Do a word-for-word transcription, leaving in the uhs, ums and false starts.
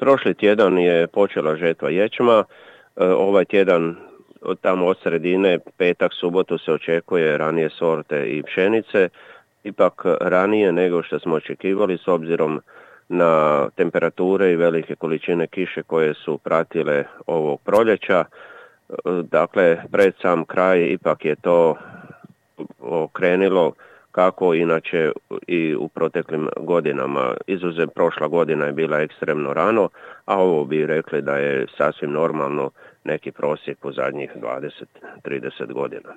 Prošli tjedan je počela žetva ječma, ovaj tjedan tamo od sredine, petak, subotu se očekuje ranije sorte i pšenice, ipak ranije nego što smo očekivali s obzirom na temperature i velike količine kiše koje su pratile ovog proljeća. Dakle, pred sam kraj ipak je to okrenilo kako inače i u proteklim godinama. Izuzev prošla godina je bila ekstremno rano, a ovo bi rekli da je sasvim normalno neki prosjek u zadnjih dvadeset do trideset godina.